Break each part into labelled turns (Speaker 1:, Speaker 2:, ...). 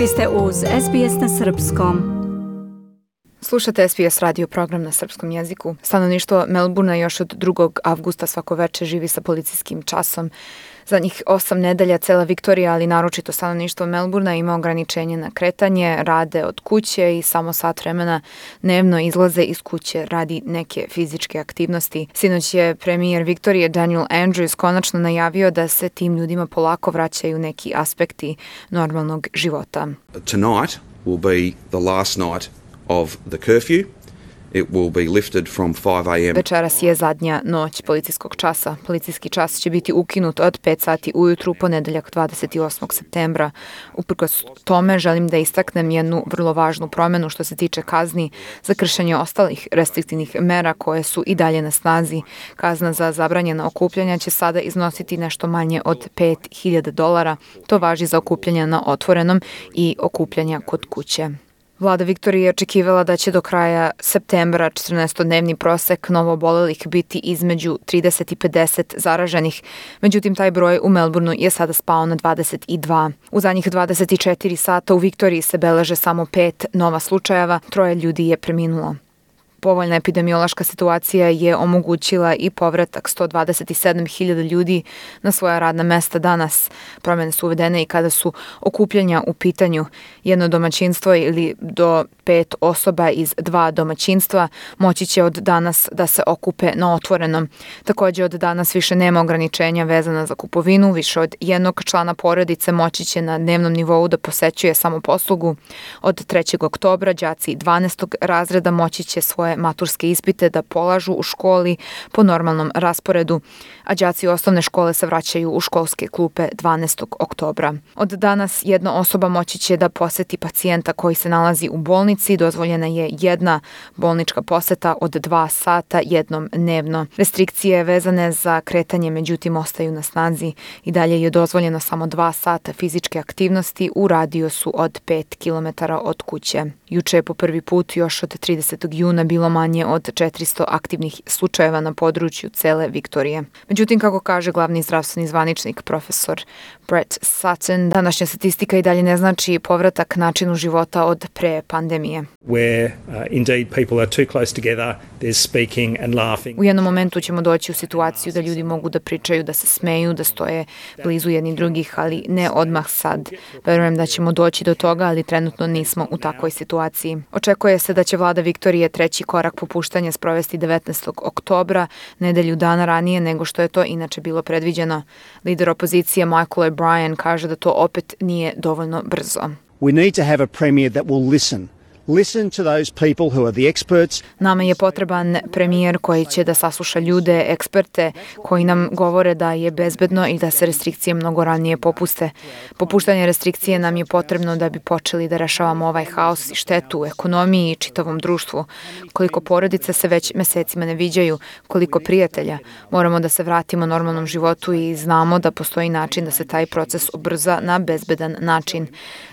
Speaker 1: Vi ste uz SBS na Srpskom.
Speaker 2: Slušate SBS radio program na srpskom jeziku. Stanovništvo Melbourna još od 2. avgusta svako veče živi sa policijskim časom. Zadnjih 8 nedelja cela Viktorija, ali naročito stanovništvo Melbourna ima ograničenje na kretanje, rade od kuće i samo sat vremena dnevno izlaze iz kuće radi neke fizičke aktivnosti. Sinoć je premijer Viktorije Daniel Andrews konačno najavio da se tim ljudima polako vraćaju neki aspekti normalnog života.
Speaker 3: Tonight will be the last night of the curfew. It will be lifted from 5 a.m.
Speaker 2: Večeras je zadnja noć policijskog časa. Policijski čas će biti ukinut od 5 sati ujutru ponedeljak 28. septembra. Uprkos tome želim da istaknem jednu vrlo važnu promenu što se tiče kazni za kršenje ostalih restriktivnih mera koje su i dalje na snazi. Kazna za zabranjena okupljanja će sada iznositi nešto manje od $5,000. To važi za okupljanja na otvorenom i okupljanja kod kuće. Vlada Viktorije je očekivala da će do kraja septembra 14-dnevni prosek novoobolelih biti između 30 i 50 zaraženih. Međutim, taj broj u Melbourneu je sada spao na 22. U zadnjih 24 sata u Viktoriji se beleže samo 5 nova slučajeva, 3 ljudi je preminulo. Povoljna epidemiološka situacija je omogućila i povratak 127.000 ljudi na svoja radna mesta danas. Promjene su uvedene i kada su okupljanja u pitanju. Jedno domaćinstvo ili do 5 osoba iz 2 domaćinstva moći će od danas da se okupe na otvorenom. Također od danas više nema ograničenja vezana za kupovinu. Više od jednog člana porodice moći će na dnevnom nivou da posećuje samoposlugu. Od 3. oktobra đaci 12. razreda moći će svoje maturske ispite da polažu u školi po normalnom rasporedu, a đaci osnovne škole se vraćaju u školske klupe 12. oktobra. Od danas jedna osoba moći će da poseti pacijenta koji se nalazi u bolnici. Dozvoljena je jedna bolnička poseta od 2 sata jednom dnevno. Restrikcije vezane za kretanje međutim ostaju na snazi. I dalje je dozvoljeno samo 2 sata fizičke aktivnosti u radijusu od 5 km od kuće. Juče je po prvi put još od 30. juna bilo manje od 400 aktivnih slučajeva na području cele Viktorije. Međutim, kako kaže glavni zdravstveni zvaničnik profesor Brett Sutton, današnja statistika i dalje ne znači povratak načinu života od pre pandemije.
Speaker 4: Where indeed people are too close together, there's speaking and laughing.
Speaker 2: U jednom momentu ćemo doći u situaciju da ljudi mogu da pričaju, da se smeju, da stoje blizu jedni drugih, ali ne odmah sad. Verujem da ćemo doći do toga, ali trenutno nismo u takvoj situaciji. Očekuje se da će vlada Viktorije treći korak popuštanja sprovesti 19. oktobra, nedelju dana ranije nego što je to inače bilo predviđeno. Lider opozicije Michael O'Brien kaže da to opet nije dovoljno brzo.
Speaker 5: We need to have a premier that will listen. Listen to those people who are the experts.
Speaker 2: Nama je potreban premijer koji će da sasluša ljude, eksperte koji nam govore da je bezbedno i da se restrikcije mnogo ranije popuste. Popuštanje restrikcije nam je potrebno da bi počeli da rešavamo ovaj haos i štetu u ekonomiji i čitavom društvu. Koliko porodice se već mesecima ne viđaju, koliko prijatelja. Moramo da se vratimo normalnom životu i znamo da postoji način da se taj proces ubrza na bezbedan način.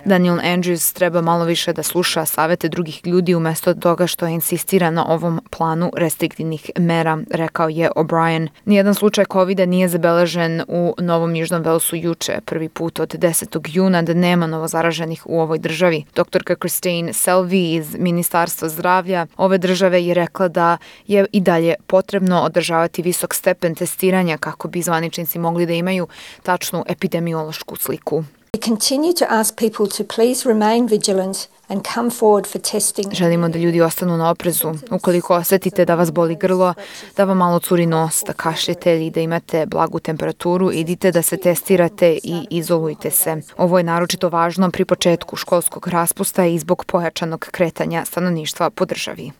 Speaker 2: Daniel Andrews treba malo više da sluša savete drugih ljudi umjesto toga što insistira na ovom planu restriktivnih mera, rekao je O'Brien. Nijedan slučaj COVID-a nije zabeležen u Novom Južnom Velsu juče, prvi put od 10. juna da nema novozaraženih u ovoj državi. Doktorka Christine Selby iz Ministarstva zdravlja ove države je rekla da je i dalje potrebno održavati visok stepen testiranja kako bi zvaničnici mogli da imaju tačnu epidemiološku sliku.
Speaker 6: We continue to ask people to please remain vigilant and come forward for testing.
Speaker 2: Želimo da ljudi ostanu na oprezu. Ukoliko osetite da vas boli grlo, da vam malo curi nos, da kašljete ili da imate blagu temperaturu, idite da se testirate i izolujte se. Ovo je naročito važno pri početku školskog raspusta i zbog pojačanog kretanja stanovništva po državi.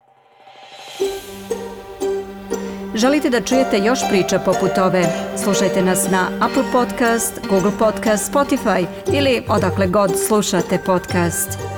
Speaker 1: Želite da čujete još priča poput ove? Slušajte nas na Apple Podcast, Google Podcast, Spotify ili odakle god slušate podcast.